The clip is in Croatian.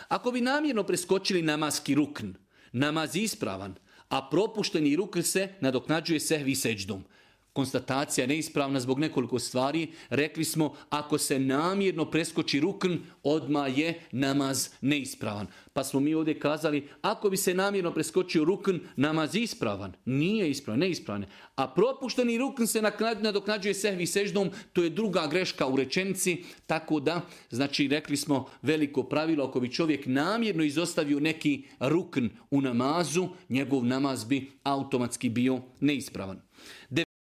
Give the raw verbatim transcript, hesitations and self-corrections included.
Ako bi namjerno preskočili namaski rukn, namaz je ispravan, a propušteni rukn se nadoknađuje sehvi seđdom. Konstatacija je neispravna zbog nekoliko stvari. Rekli smo, ako se namjerno preskoči rukn, odmah je namaz neispravan. Pa smo mi ovdje kazali, ako bi se namjerno preskočio rukn, namaz je ispravan. Nije ispravan, neispravan. A propušteni rukn se nadoknađuje sehvi seždom, to je druga greška u rečenici. Tako da, znači, rekli smo veliko pravilo, ako bi čovjek namjerno izostavio neki rukn u namazu, njegov namaz bi automatski bio neispravan.